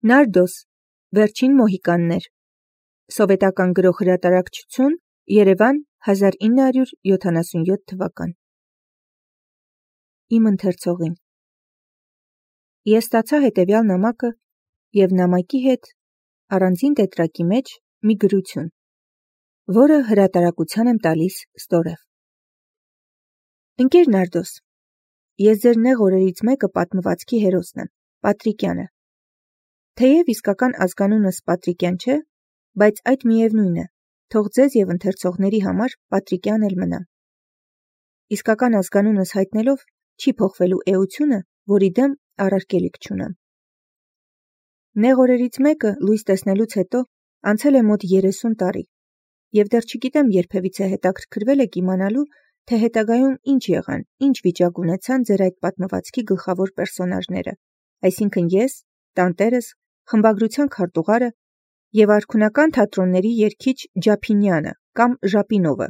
Նարդոս, վերջին մոհիկաններ, սովետական գրող հրատարակչություն, Երևան 1977 թվական։ Իմ ընթերցողին։ Ես ստացա հետևյալ նամակը և նամակի հետ առանձին տետրակի մեջ մի գրություն, որը հրատարակության եմ տալիս ստորև։ Ընկեր Նարդոս, ես ձեր նեղ օրերից մեկը պատմվածքի հերոսն եմ, Պատրիկյանը։ Թեև իսկական ազգանունս Պատրիկյան չէ, բայց այդ միևնույն է, թող ձեզ և ընթերցողների համար Պատրիկյան էլ մնա։ Իսկական ազգանունս հայտնելով չի փոխվելու էությունը, որի դեմ առարկելիք չունեմ։ Նեղ օրերից մեկը լույս տեսնելուց հետո անցել է մոտ 30 տարի, և դեռ չգիտեմ երբևիցե հետաքրքրվել եք իմանալու, թե հետագայում ինչ եղան, ինչ վիճակ ունեցան ձեր այդ պատմվածքի գլխավոր պերսոնաժները, այսինքն ես, տանտերս, խմբագրության քարտուղարը և արքունական թատրոնների երգիչ Ջափինյանը կամ Ժապինովը,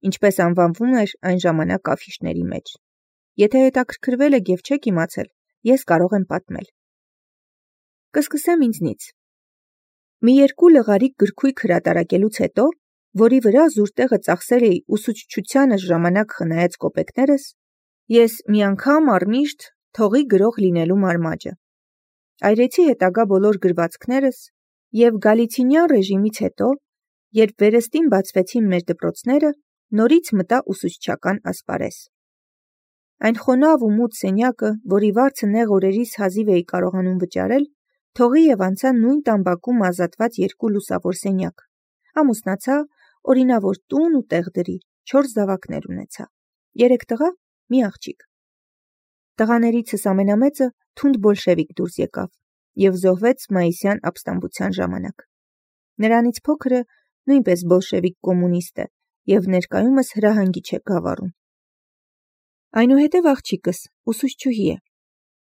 ինչպես անվանվում էր այն ժամանակ աֆիշների մեջ։ Եթե հետաքրքրվել եք և չեք իմացել, ես կարող եմ պատմել։ Կսկսեմ ինձնից։ Մի երկու լղարիկ գրքույկ հրատարակելուց հետո, որի վրա զուր տեղը ծախսել էի ուսուցչությանս ժամանակ խնայած կոպեկներս, ես մի անգամ առմիշտ թողի գրող լինելու մարմաճը։ Այրեցի հետագա բոլոր գրվածքներս և Գալիցինյան ռեժիմից հետո, երբ վերստին բացվեցին մեր դպրոցները, նորից մտա ուսուցչական ասպարեզ։ Այն խոնավ ու մութ սենյակը, որի վարձը նեղ օրերիս հազիվ էի կարողանում վճարել, թողի և անցա նույն տամբակում ազատված երկու լուսավոր սենյակ, ամուսնացա, օրինավոր տուն ու տեղ դրի, 4 զավակներ ունեցա, 3 տղա, մի աղջիկ։ Տղաներիցս ամենամեծը թունդ բոլշևիկ դուրս եկավ և զոհվեց մայիսյան ապստամբության ժամանակ։ Նրանից փոքրը նույնպես բոլշևիկ կոմունիստ է և ներկայումս հրահանգիչ է Գավառում։ Այնուհետև աղջիկս ուսուցչուհի է,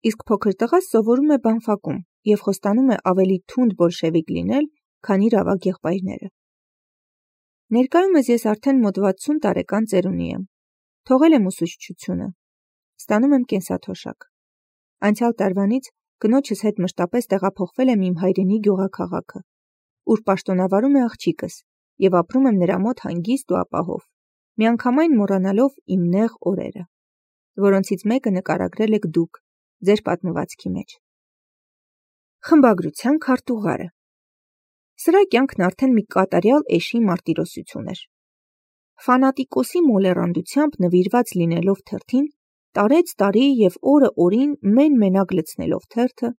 իսկ փոքր տղաս սովորում է բանֆակում և խոստանում է ավելի թունդ բոլշևիկ լինել, քան իր ավագ եղբայրները։ Ներկայումս ես արդեն մոտ 60 տարեկան ծերունի եմ, թողել եմ ուսուցչությունը, ստանում եմ կենսաթոշակ։ Անցյալ տարվանից կնոջս հետ մշտապես տեղափոխվել եմ իմ հայրենի գյուղաքաղաքը, ուր պաշտոնավարում է աղջիկս և ապրում եմ նրա մոտ հանգիստ ու ապահով, միանգամայն մոռանալով իմ նեղ օրերը, որոնցից մեկը նկարագրել եք դուք ձեր պատմվածքի մեջ։ Խմբագրության քարտուղարը։ Սրա կյանքն արդեն մի կատարյալ էշի մարտիրոսություն էր։ Ֆանատիկոսի մոլեռանդությամբ նվիրված լինելով թերթին, տարեց տարի և օրը օրին մեն-մենակ լցնելով թերթը,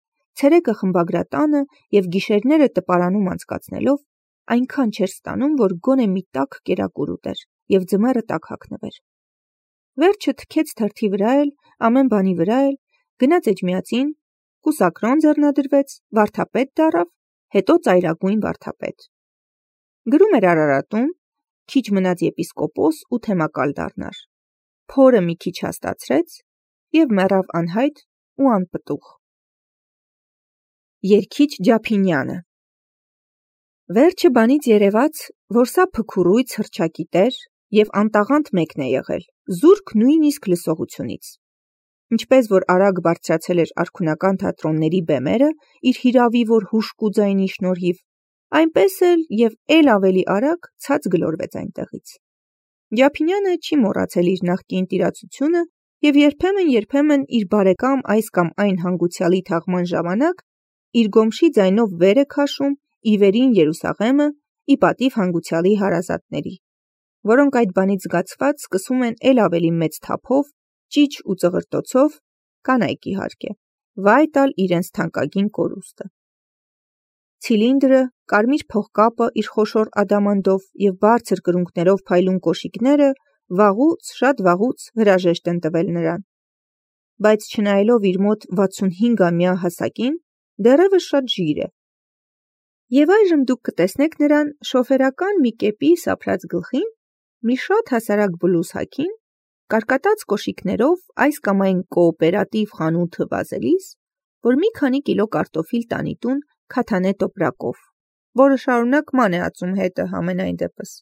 ցերեկը խմբագրատանը և գիշերները տպարանում անցկացնելով, այնքան չէր ստանում, որ գոնե մի տաք կերակուր ուտեր և ձմեռը տաք հագնվեր։ Վերջը թքեց թերթի վրա էլ, ամեն բանի վրա էլ, գնաց էջմիածին, կուսակրոն ձեռնադրվեց, վարդապետ դառավ, հետո ծայրագույն վարդապետ։ Գրում էր Արարատում, քիչ մնաց եպիսկոպոս ու թեմակալ դառնար, փորը մի քիչ հաստացրեց և մեռավ անհայտ ու անպտուղ։ Երգիչ Ջափինյանը։ Վերջը բանից երևաց, որ սա փքուրույց հռչակի տեր և անտաղանդ մեկն է եղել, զուրկ նույնիսկ լսողությունից։ Ինչպես որ արագ բարձրացել էր արքունական թատրոնների բեմերը իր հիրավի որ հուժկու ձայնի շնորհիվ, այնպես էլ ավելի արագ ցած գլորվեց այնտեղից։ Ջափինյանը չի մոռացել իր նախկին տիրացությունը և երբեմն իր բարեկամ այս կամ այն հանգուցյալի թաղման ժամանակ իր գոմշի ձայնով վեր է քաշում ի վերին Երուսաղեմը ի պատիվ հանգուցյալի հարազատների, որոնք այդ բանից զգացված սկսում են էլ ավելի մեծ թափով, ճիչ ու ծղրտոցով, կանայք իհարկե, վայ տալ իրենց թանկագին կորուստը։ Ցիլինդրը, կարմիր փողկապը իր խոշոր ադամանդով և բարձր կրունկներով փայլուն կոշիկները շատ վաղուց հրաժեշտ են տվել նրան, բայց չնայելով իր մոտ 65-ամյա հասակին, դեռևս շատ ժիր է։ Եվ այժմ դուք կտեսնեք նրան շոֆերական մի կեպի սափրած գլխին, մի շատ հասարակ բլուզ հագին, կարկատած կոշիկներով այս կամ այն կոոպերատիվ խանութը վազելիս, որ մի քանի կիլո կարտոֆիլ տանի տուն քաթանե տոպրակով, որը շարունակ ման է ածում հետը համենայն դեպս։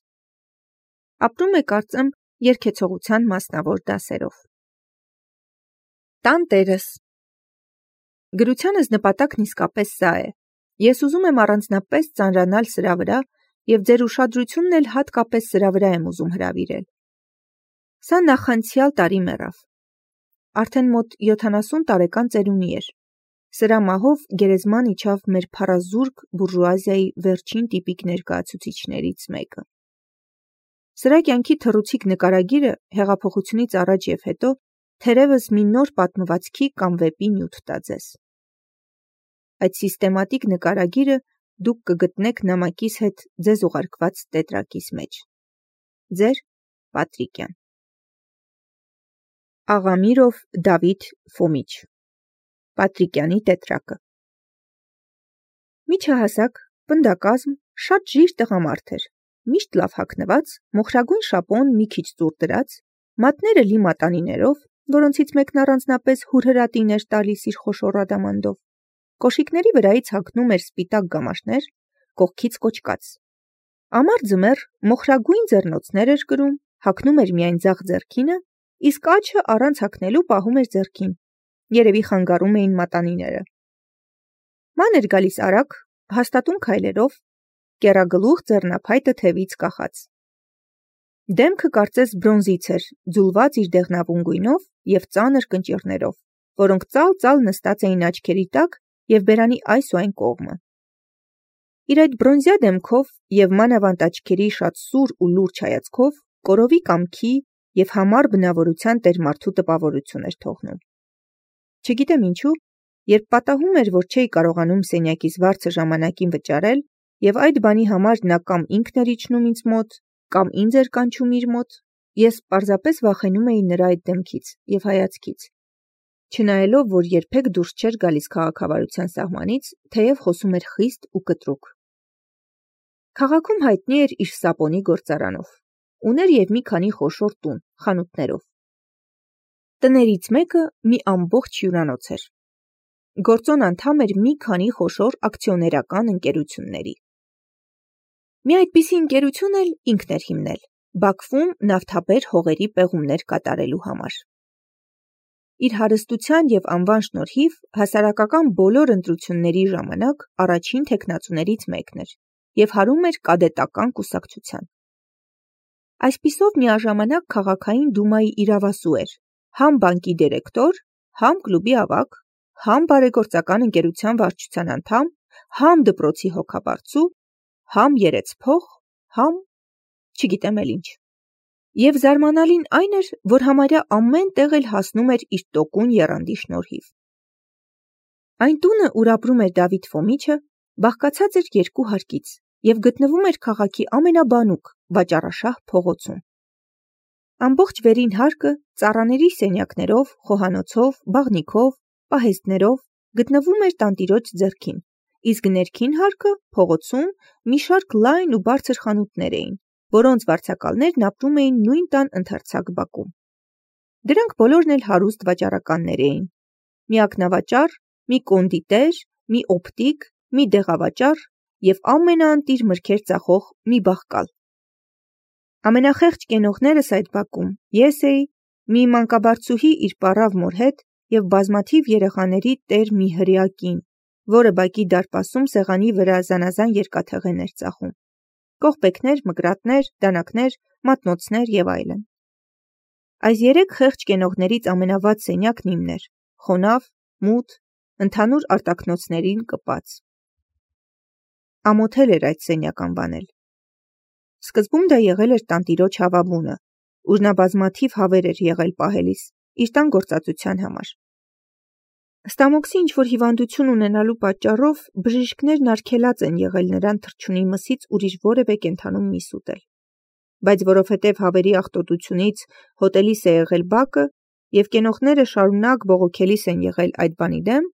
Ապրում է, կարծեմ, երգեցողության մասնավոր դասերով։ Տանտերս։ Գրությանս նպատակն իսկապես սա է, Ես ուզում եմ առանձնապես ծանրանալ սրա վրա և ձեր ուշադրությունն էլ հատկապես սրա վրա եմ ուզում հրավիրել։ Սա նախանցյալ տարի մեռավ։ Արդեն մոտ 70 տարեկան ծերունի էր։ Սրա մահով գերեզման իջավ մեր փառազուրկ բուրժուազիայի վերջին տիպիկ ներկայացուցիչներից մեկը։ Սրա կյանքի թռուցիկ նկարագիրը հեղափոխությունից առաջ և հետո թերևս մի նոր պատմվածքի կամ վեպի նյութ տա ձեզ։ Այդ սիստեմատիկ նկարագիրը դուք կգտնեք նամակիս հետ ձեզ ուղարկված տետրակիս մեջ։ Ձեր Պատրիկյան։ Աղամիրով Դավիթ Ֆոմիչ։ Պատրիկյանի տետրակը։ Միջահասակ, պնդակազմ, շատ ժիր տղամարդ էր, միշտ լավ հագնված, մոխրագույն շապոն մի քիչ ծուռ դրած, մատները լի մատանիներով, որոնցից մեկն առանձնապես հուրհրատին էր տալիս իր խոշոր ադամանդով, կոշիկների վրայից հագնում էր սպիտակ գամաշներ, կողքից կոճկած։ Ամառ ձմեռ մոխրագույն ձեռնոցներ էր կրում, հագնում էր միայն ձախ ձեռքինը, իսկ աջը առանց հագնելու պահում էր ձեռքին, երևի խանգարում էին մատանիները։ Ման էր գալիս արագ, հաստատուն քայլերով, կեռագլուխ ձեռնափայտը թևից կախած։ Դեմքը կարծես բրոնզից էր, ձուլված իր դեղնավուն գույնով և ծանր կնճիռներով, որոնք ծալ-ծալ նստած էին աչքերի տակ և բերանի այս ու այն կողմը։ Իր այդ բրոնզյա դեմքով և մանավանդ աչքերի շատ սուր ու լուրջ հայացքով կորովի կամքի և համառ բնավորության տերմարդու տպավորություն էր թողնում։ Չգիտեմ ինչու, երբ պատահում էր, որ չէի կարողանում սենյակիս վարձը ժամանակին վճարել, և այդ բանի համար նա կամ ինքն էր իջնում ինձ մոտ, կամ ինձ էր կանչում իր մոտ, ես պարզապես վախենում էի նրա այդ դեմքից և հայացքից, չնայելով, որ երբեք դուրս չէր գալիս քաղաքավարության սահմանից, թեև խոսում էր խիստ ու կտրուկ։ Քաղաքում հայտնի էր իր սապոնի գործարանով, ուներ և մի քանի խոշոր տուն, խանութներով։ Տներից մեկը մի ամբողջ հյուրանոց էր։ Գործոն անդամ էր մի քանի խոշոր ակցիոներական ընկերությունների։ Մի այդպիսի ընկերություն էլ ինքն էր հիմնել, Բաքվում նավթաբեր հողերի պեղումներ կատարելու համար։ Իր հարստության և անվան շնորհիվ հասարակական բոլոր ընտրությունների ժամանակ առաջին թեկնածուներից մեկն էր և հարում էր կադետական կուսակցության։ Այսպիսով միաժամանակ քաղաքային դումայի իրավասու էր, համ բանկի դիրեկտոր, համ կլուբի ավագ, համ բարեգործական ընկերության վարչության անդամ, համ դպրոցի հոգաբարձու, համ երեցփող, համ չգիտեմ էլ ինչ։ Եվ զարմանալին այն էր, որ համարյա ամեն տեղ էլ հասնում էր իր տոկուն եռանդի շնորհիվ։ Այն տունը, ուր ապրում էր Դավիթ Ֆոմիչը, բաղկացած էր երկու հարկից և գտնվում էր քաղաքի ամենաբանուկ, վաճառաշահ փողոցում։ Ամբողջ վերին հարկը ծառաների սենյակներով, խոհանոցով, բաղնիքով, պահեստներով գտնվում էր տանտիրոջ ձեռքին, իսկ ներքին հարկը փողոցում մի շարք լայն ու բարձր խանութներ էին, որոնց վարձակալներն ապրում էին նույն տան ընդարձակ բակում։ Դրանք բոլորն էլ հարուստ վաճառականներ էին։ Մի ակնավաճառ, մի կոնդիտեր, մի օպտիկ, մի դեղավաճառ և ամենաընտիր մրգեր ծախող մի բաղկալ։ Ամենախեղճ կենողներս այդ բակում ես էի, մի մանկաբարձուհի իր պառավ մոր հետ և բազմաթիվ երեխաների տեր մի հրեա կին, որը բակի դարպասում սեղանի վրա զանազան երկաթեղեն էր ծախում, կողպեքներ, մկրատներ, դանակներ, մատնոցներ և այլն։ Այս երեք խեղճ կենողներից ամենավատ սենյակն իմն էր, խոնավ, մութ, ընդհանուր արտաքնոցներին կպած։ Ամոթել էր այդ սենյակ անվանել։ Սկզբում դա եղել էր տանտիրոջ հավաբունը, ուր նա բազմաթիվ հավեր էր եղել պահելիս, իր տան գործածության համար։ Ստամոքսի ինչ-որ հիվանդություն ունենալու պատճառով բժիշկներն արգելած են եղել նրան թռչունի մսից ուրիշ որևէ կենդանու միս ուտել։ Բայց որովհետև հավերի աղտոտությունից հոտելիս է եղել բակը և կենողները շարունակ բողոքելիս են եղել այդ բանի դեմ,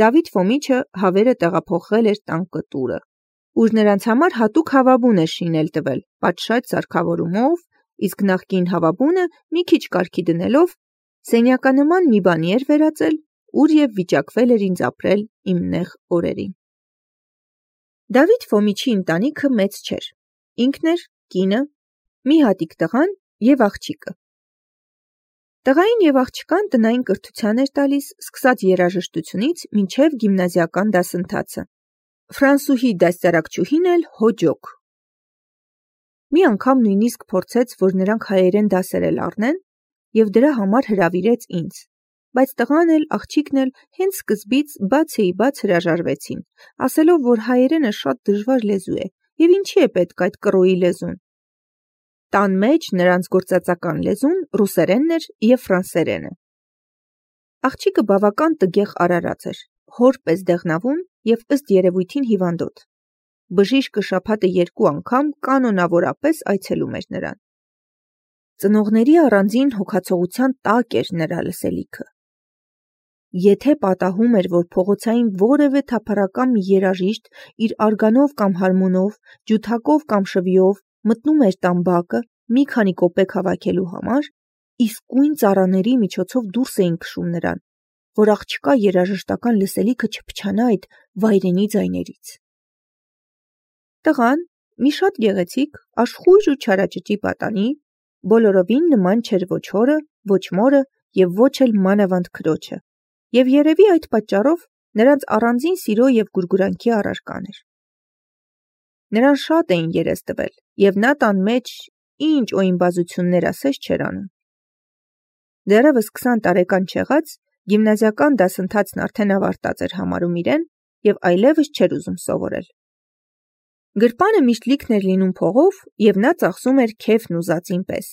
Դավիթ Ֆոմիչը հավերը տեղափոխել էր տան կտուրը, ուր նրանց համար հատուկ հավաբուն էր շինել տվել, պատշաճ սարքավորումով, իսկ նախկին հավաբունը մի քիչ կարգի դնելով սենյականման մի բանի էր վերածել, ուր և վիճակվել էր ինձ ապրել իմ նեղ օրերին։ Դավիթ Ֆոմիչի ընտանիքը մեծ չէր, ինքն էր, կինը, մի հատիկ տղան և աղջիկը։ Տղային և աղջկան տնային կրթության էր տալիս, սկսած երաժշտությունից մինչև գիմնազիական դասընթացը, Ֆրանսուհի դաստիարակչուհին էլ հոջոք։ Մի անգամ նույնիսկ փորձեց, որ նրանք հայերեն դասեր էլ առնեն, և դրա համար հրավիրեց ինձ, բայց տղան էլ աղջիկն էլ հենց սկզբից բաց հրաժարվեցին, ասելով, որ հայերենը շատ դժվար լեզու է, և ինչի է պետք այդ կռոյի լեզուն։ Տան մեջ նրանց գործածական լեզուն ռուսերենն էր և ֆրանսերենը։ Աղջիկը բավական տգեղ արարած էր, հոր պես դեղնավուն և ըստ երևույթին հիվանդոտ։ Բժիշկը շաբաթը 2 անգամ կանոնավորապես այցելում էր նրան։ Ծնողների առանձին հոգացողության տակ էր նրա լսելիքը։ Եթե պատահում էր, որ փողոցային որևէ թափառական մի երաժիշտ իր արգանով կամ հարմոնով, ջութակով կամ շվիով մտնում էր տան բակը մի քանի կոպեկ հավաքելու համար, իսկույն ծառաների միջոցով դուրս էին քշում նրան, որ աղջկա երաժշտական լսելիքը չփչանա այդ վայրենի ձայներից։ Տղան, մի շատ գեղեցիկ, աշխույժ ու չարաճճի պատանի, բոլորովին նման չէր ոչ հորը, ոչ մորը և ոչ էլ մանավանդ քրոջը, և երևի այդ պատճառով նրանց առանձին սիրո և գուրգուրանքի առարկան էր։ Նրան շատ էին երես տվել, և նա տան մեջ ինչ օյնբազություններ ասես չէր անում։ Դեռևս 20 տարեկան չեղած, գիմնազիական դասընթացն արդեն ավարտած էր համարում իրեն և այլևս չէր ուզում սովորել։ Գրպանը միշտ լիքն էր լինում փողով, և նա ծախսում էր քեֆն ուզածին պես։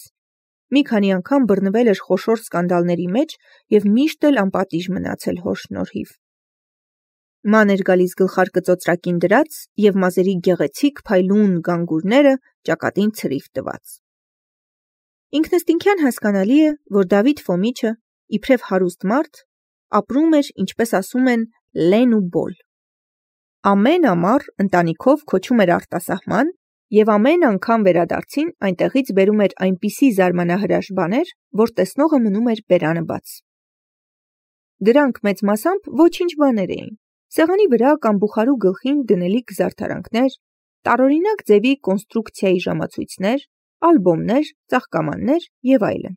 Մի քանի անգամ բռնվել էր խոշոր սկանդալների մեջ և միշտ էլ անպատիժ մնացել հոր շնորհիվ։ Ման էր գալիս գլխարկը ծոծրակին դրած և մազերի գեղեցիկ փայլուն գանգուրները ճակատին ցրիվ տված։ Ինքնըստինքյան հասկանալի է, որ Դավիթ Ֆոմիչը, իբրև հարուստ մարդ, ապրում էր, ինչպես ասում են, լեն ու բոլ։ Ամեն ամառ ընտանիքով քոչում էր արտասահման և ամեն անգամ վերադարձին այնտեղից բերում էր այնպիսի զարմանահրաշ բաներ, որ տեսնողը մնում էր բերանը բաց։ Դրանք մեծ մասամբ ոչինչ բաներ էին, սեղանի վրա կամ բուխարու գլխին դնելիք զարդարանքներ, տարօրինակ ձևի կոնստրուկցիայի ժամացույցներ, ալբոմներ, ծաղկամաններ և այլն։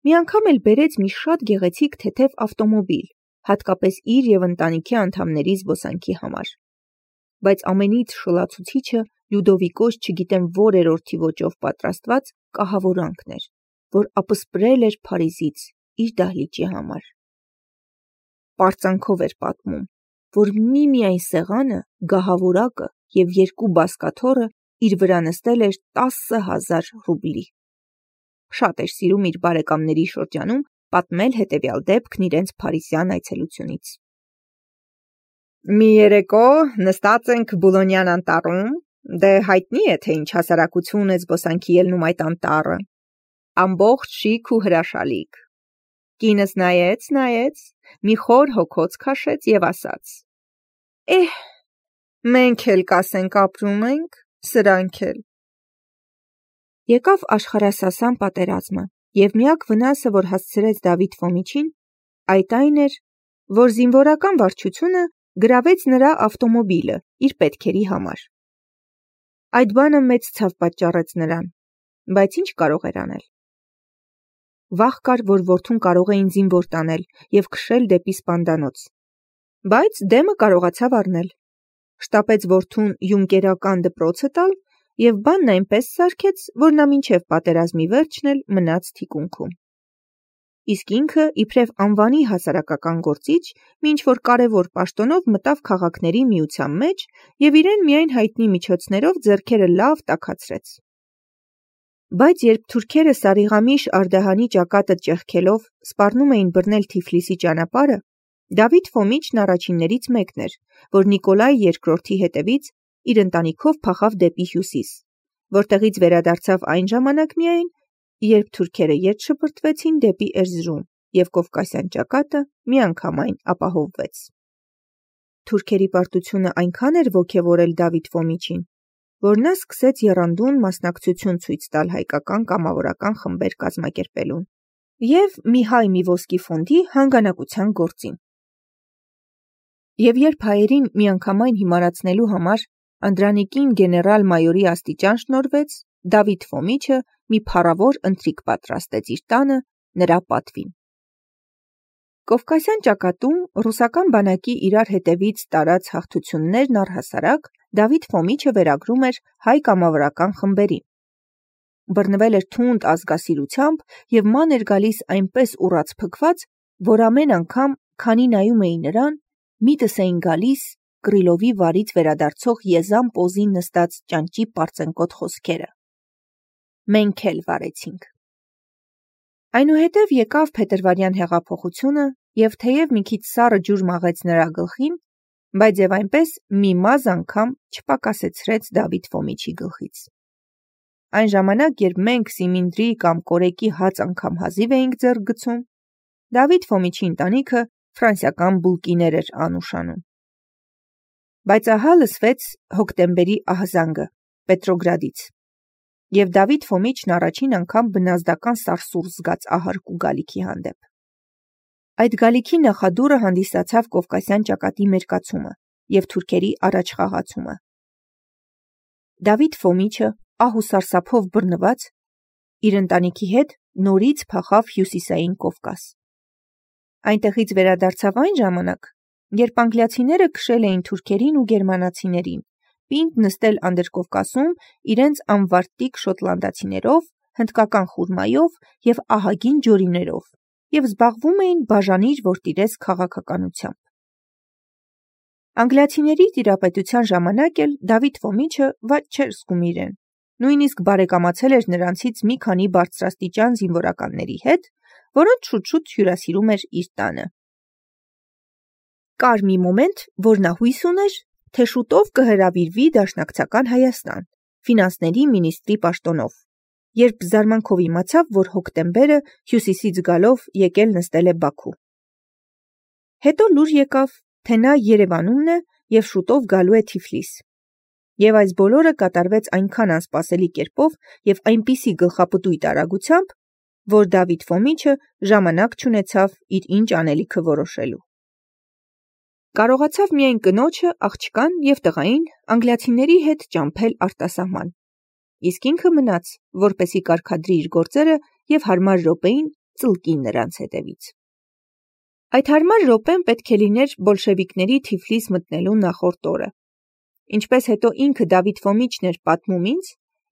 Մի անգամ էլ բերեց մի շատ գեղեցիկ թեթև ավտոմոբիլ, հատկապես իր և ընտանիքի անդամների զբոսանքի համար։ Բայց ամենից շլացուցիչը Լյուդովիկոս չգիտեմ որ երրորդի ոճով պատրաստված կահավորանքն էր, որ ապսպրել էր Փարիզից իր դահլիճի համար։ Պարծանքով էր պատմում, որ միմիայն սեղանը, գահավորակը և 2 բազկաթոռը իր վրա նստել էր 10,000 ռուբլի։ Շատ էր սիրում իր բարեկամների շրջանում պատմել հետևյալ դեպքն իրենց փարիզյան այցելությունից։ Մի երեկո նստած ենք Բուլոնյան անտառում, դե հայտնի է, թե ինչ հասարակություն է զբոսանքի ելնում այդ անտառը, ամբողջ շիկ ու հրաշալիք։ Կինս նայեց, մի խոր հոգոց քաշեց և ասաց. մենք էլ կասենք ապրում ենք, սրանք էլ։ Եկավ աշխարհասասան պատերազմը, և միակ վնասը, որ հասցրեց Դավիթ Ֆոմիչին, այդ այն էր, որ զինվորական վարչությունը գրավեց նրա ավտոմոբիլը իր պետքերի համար։ Այդ բանը մեծ ցավ պատճառեց նրան, բայց ինչ կարող էր անել։ Վախ կար, որ որդուն կարող էին զինվոր տանել և քշել դեպի սպանդանոց, բայց դեմը կարողացավ առնել։ Շտապեց որդուն յունկերական դպրոցը տալ և բանն այնպես սարքեց, որ նա մինչև պատերազմի վերջն էլ մնաց թիկունքում։ Իսկ ինքը, իբրև անվանի հասարակական գործիչ, ինչ-որ կարևոր պաշտոնով մտավ քաղաքների միության մեջ և իրեն միայն հայտնի միջոցներով ձեռքերը լավ տաքացրեց։ Բայց երբ թուրքերը Սարիղամիշ Արդահանի ճակատը ճեղքելով սպառնում էին բռնել Թիֆլիսի ճանապարհը, Դավիթ Ֆոմիչն առաջիններից մեկն էր, որ Նիկոլայ II-ի հետևից իր ընտանիքով փախավ դեպի հյուսիս, որտեղից վերադարձավ այն ժամանակ միայն, երբ թուրքերը ետ շպրտվեցին դեպի Էրզրում և Կովկասյան ճակատը միանգամայն ապահովվեց։ Թուրքերի պարտությունը այնքան էր ոգևորել Դավիթ Ֆոմիչին, որ նա սկսեց եռանդուն մասնակցություն ցույց տալ հայկական կամավորական խմբեր կազմակերպելուն և մի հայ մի ոսկի ֆոնդի հանգանակության գործին։ Եվ երբ հայերին միանգամայն հիմարացնելու համար Անդրանիկին գեներալ-մայորի աստիճան շնորհվեց, Դավիթ Ֆոմիչը մի փառավոր ընթրիք պատրաստեց իր տանը նրա պատվին։ Կովկասյան ճակատում ռուսական բանակի իրար հետևից տարած հաղթություններն առհասարակ Դավիթ Ֆոմիչը վերագրում էր հայ կամավորական խմբերին։ Բռնվել էր թունդ ազգասիրությամբ և ման էր գալիս այնպես ուռած փքված, որ ամեն անգամ, քանի նայում էի նրան, միտս էին գալիս Կրիլովի վարից վերադարձող եզան պոզին նստած ճանճի պարծենկոտ խոսքերը. «Մենք էլ վարեցինք»։ Այնուհետև եկավ փետրվարյան հեղափոխությունը և թեև մի քիչ սառը ջուր մաղեց նրա գլխին, բայց և այնպես մի մազь անգամ չպակասեցրեց Դավիթ Ֆոմիչի գլխից։ Այն ժամանակ, երբ մենք սիմինդրի կամ կորեկի հաց անգամ հազիվ էինք ձեռք գցում, Դավիթ Ֆոմիչի ընտանիքը ֆրանսիական բուլկիներ էր անուշանում։ Բայց ահա լսվեց հոկտեմբերի ահզանգը Պետրոգրադից, և Դավիթ Ֆոմիչն առաջին անգամ բնազդական սարսուռ զգաց ահարկու գալիքի հանդեպ։ Այդ գալիքի նախադուռը հանդիսացավ Կովկասյան ճակատի մերկացումը և թուրքերի առաջխաղացումը։ Դավիթ Ֆոմիչը ահ ու սարսափով բռնված իր ընտանիքի հետ նորից փախավ հյուսիսային Կովկաս։ Այնտեղից վերադարձավ այն ժամանակ, երբ անգլիացիները քշել էին թուրքերին ու գերմանացիներին պինդ նստել Անդրկովկասում իրենց անվարտիկ շոտլանդացիներով, հնդկական խուրմայով և ահագին ջորիներով և զբաղվում էին բաժանիր որ տիրես քաղաքականությամբ։ Անգլիացիների տիրապետության ժամանակ էլ Դավիթ Ֆոմիչը վատ չէր զգում իրեն, նույնիսկ բարեկամացել էր նրանցից մի քանի բարձրաստիճան զինվորականների հետ, որոնց շուտ-շուտ հյուրասիրում էր իր տանը։ Կար մի մոմենտ, որ նա հույս ուներ, թե շուտով կհրավիրվի Դաշնակցական Հայաստան, ֆինանսների մինիստրի պաշտոնով, երբ զարմանքով իմացավ, որ հոկտեմբերը հյուսիսից գալով եկել նստել է Բաքու։ Հետո լուր եկավ, թե նա Երևանումն է և շուտով գալու է Թիֆլիս։ Եվ այս բոլորը կատարվեց այնքան անսպասելի կերպով և այնպիսի գլխապտույտ արագությամբ, որ Դավիթ Ֆոմիչը ժամանակ չունեցավ իր ինչ անելիքը որոշելու։ Կարողացավ միայն կնոջը, աղջկան և տղային անգլիացիների հետ ճամփել արտասահման, իսկ ինքը մնաց, որպեսզի կարգադրի իր գործերը և հարմար րոպեին ծլկի նրանց հետևից։ Այդ հարմար րոպեն պետք է լիներ բոլշևիկների Թիֆլիս մտնելու նախորդ օրը։ Ինչպես հետո ինքը Դավիթ Ֆոմիչն էր պատմում ինձ,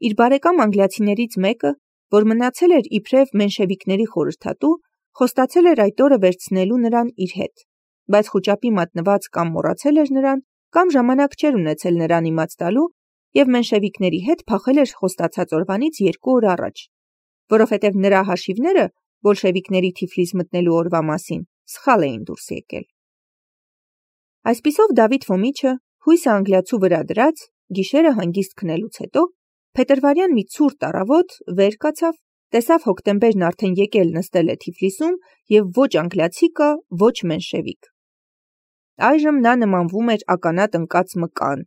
իր բարեկամ անգլիացիներից մեկը, որ մնացել էր իբրև մենշևիկների խորհրդատու, խոստացել էր այդ օրը վերցնելու նրան իր հետ, բայց խուճապի մատնված կամ մոռացել էր նրան, կամ ժամանակ չէր ունեցել նրան իմաց տալու և մենշևիկների հետ փախել էր խոստացած օրվանից 2 օր առաջ, որովհետև նրա հաշիվները բոլշևիկների Թիֆլիս մտնելու օրվա մասին սխալ էին դուրս եկել։ Այսպիսով Դավիթ Ֆոմիչը հույսը անգլիացու վրա դրած, գիշերը հանգիստ քնելուց հետո, փետրվարյան մի ցուրտ առավոտ վեր կացավ, տեսավ հոկտեմբերն արդեն եկել նստել է Թիֆլիսում և ոչ անգլիացի կա, ոչ մենշևիկ։ Այժմ նա նմանվում էր ականատ ընկած մկան,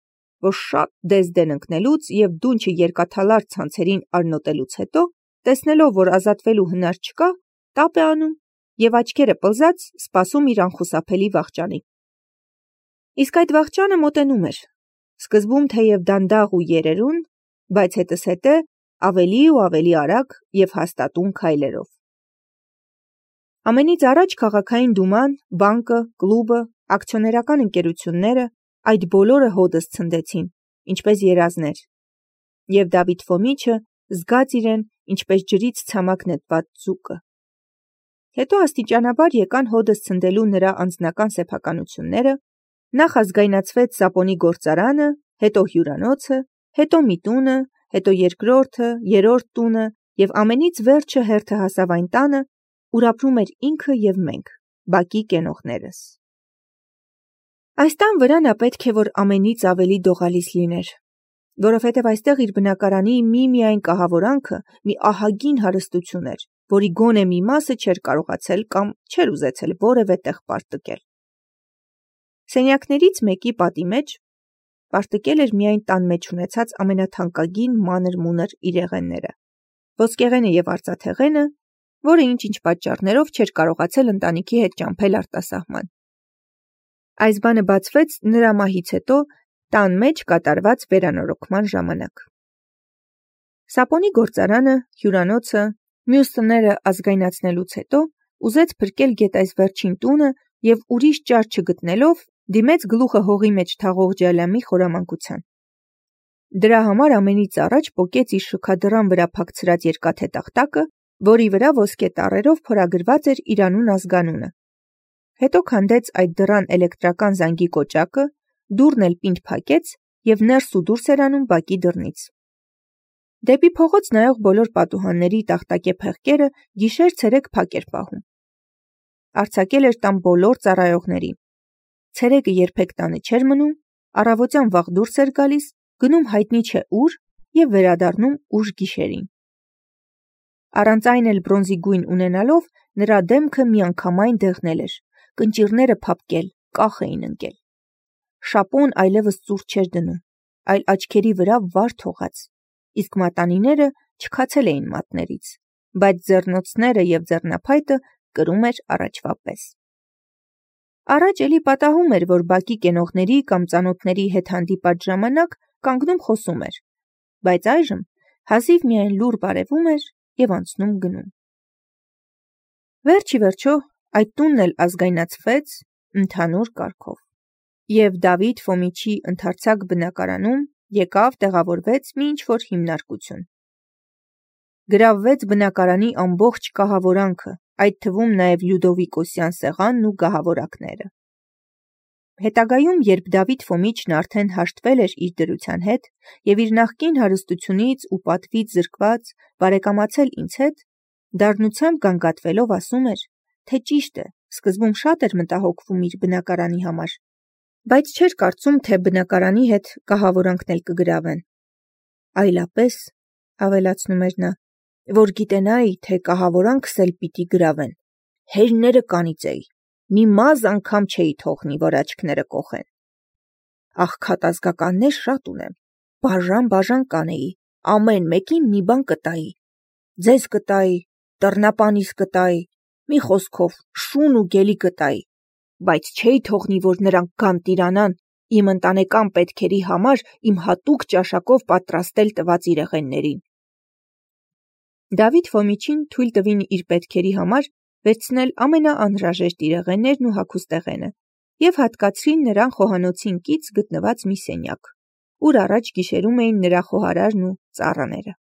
որ շատ դեզդեն ընկնելուց և դունչը երկաթալար ցանցերին արնոտելուց հետո, տեսնելով, որ ազատվելու հնար չկա, տապ է անում և աչքերը պլզած սպասում իր անխուսափելի վախճանի։ Իսկ այդ վախճանը մոտենում էր, սկզբում թեև դանդաղ ու երերուն, բայց հետզհետե ավելի ու ավելի արագ և հաստատուն քայլերով։ Ամենից առաջ քաղաքային դուման, բանկը, կլուբը, ակցիոներական ընկերությունները, այդ բոլորը հօդս ցնդեցին, ինչպես երազներ, և Դավիթ Ֆոմիչը զգաց իրեն, ինչպես ջրից ցամաք նետված ձուկը։ Հետո աստիճանաբար եկան հօդս ցնդելու նրա անձնական սեփականությունները, նախ ազգայնացվեց Սապոնի գործարանը, հետո հյուրանոցը, հետո միտունը, հետո երկրորդը, երրորդ տունը և ամենից վերջը հերթը հասավ այն տանը, ուր ապրում էր ինքը և մենք, բակի կենողներս։ Այս տան վրա նա պետք է որ ամենից ավելի դողալիս լիներ, որովհետև այստեղ իր բնակարանի միայն կահավորանքը մի ահագին հարստություն էր, որի գոնե մի մասը չէր կարողացել կամ չէր ուզեցել որևէ տեղ պարտկել։ Սենյակներից մեկի պատի մեջ պարտկել էր միայն տան մեջ ունեցած ամենաթանկագին մանր-մունր իրեղենները, ոսկեղենը և արծաթեղենը, որը ինչ-ինչ պատճառներով չէր կարողացել ընտանիքի հետ ճամփել արտասահման։ Այս բանը բացվեց նրա մահից հետո տան մեջ կատարված վերանորոգման ժամանակ։ Սապոնի գործարանը, հյուրանոցը, մյուս տները ազգայնացնելուց հետո ուզեց փրկել գետայս վերջին տունը և ուրիշ ճար չգտնելով, դիմեց գլուխը հողի մեջ թաղող Ջալամի խորամանկության։ Դրա համար ամենից առաջ պոկեց իր շքադռան վրա փակցրած երկաթե տախտակը, որի վրա ոսկե տառերով փորագրված էր իր անուն ազգանունը։ Հետո քանդեց այդ դռան էլեկտրական զանգի կոճակը, դուռն էլ պինդ փակեց և ներս ու դուրս էր անում բակի դռնից։ Դեպի փողոց նայող բոլոր պատուհանների տախտակե փեղկերը գիշեր-ցերեկ փակ էր պահում։ Արձակել էր տան բոլոր ծառայողներին։ Ցերեկը երբեք տանը չէր մնում, առավոտյան վաղ դուրս էր գալիս, գնում հայտնի չէ ուր և վերադառնում ուշ գիշերին։ Առանց այն էլ բրոնզի գույն ունենալով, նրա դեմքը միանգամայն դեղնել էր, կնճիռները փափկել, կախ էին ընկել։ Շապոն այլևս ծուռ չէր դնում, այլ աչքերի վրա վար թողած, իսկ մատանիները չքացել էին մատներից, բայց ձեռնոցները և ձեռնափայտը կրում էր առաջվա պես։ Առաջ էլի պատահում էր, որ բակի կենողների կամ ծանոթների հետ հանդիպած ժամանակ կանգնում խոսում էր, բայց այժմ հազիվ միայն լուռ բարևում էր և անցնում գնում։ Վերջ ի վերջո այդ տունն էլ ազգայնացվեց ընդհանուր կարգով, և Դավիթ Ֆոմիչի ընդարձակ բնակարանում եկավ տեղավորվեց մի ինչ-որ հիմնարկություն։ Գրավվեց բնակարանի ամբողջ կահավորանքը, այդ թվում նաև Լյուդովիկոսյան սեղանն ու գահավորակները։ Հետագայում, երբ Դավիթ Ֆոմիչն արդեն հաշտվել էր իր դրության հետ և իր նախկին հարստությունից ու պատվից զրկված բարեկամացել ինձ հետ, դառնությամբ գանգատվելով ասում էր, թե ճիշտ է, սկզբում շատ էր մտահոգվում իր բնակարանի համար, բայց չէր կարծում, թե բնակարանի հետ կահավորանքն էլ կգրավեն։ Այլապես, ավելացնում էր նա, որ գիտենայի, թե կահավորանքս էլ պիտի գրավեն, հերները կանիծեի, մի մազը անգամ չէի թողնի, որ աչքները կոխեն։ Աղքատ ազգականներ շատ ունեմ, բաժան կանեի, ամեն մեկին մի բան կտայի, ձեզ կտայի, դռնապանիս կտայի, մի խոսքով շուն ու գելի կտայի, բայց չէի թողնի, որ նրանք գան տիրանան իմ ընտանեկան պետքերի համար իմ հատուկ ճաշակով պատրաստել տված իրեղեններին։ Դավիթ Ֆոմիչին թույլ տվին իր պետքերի համար վերցնել ամենաանհրաժեշտ իրեղեններն ու հագուստեղենը և հատկացրին նրան խոհանոցին կից գտնված մի սենյակ, ուր առաջ գիշերում էին նրա խոհարարն ու ծառաները։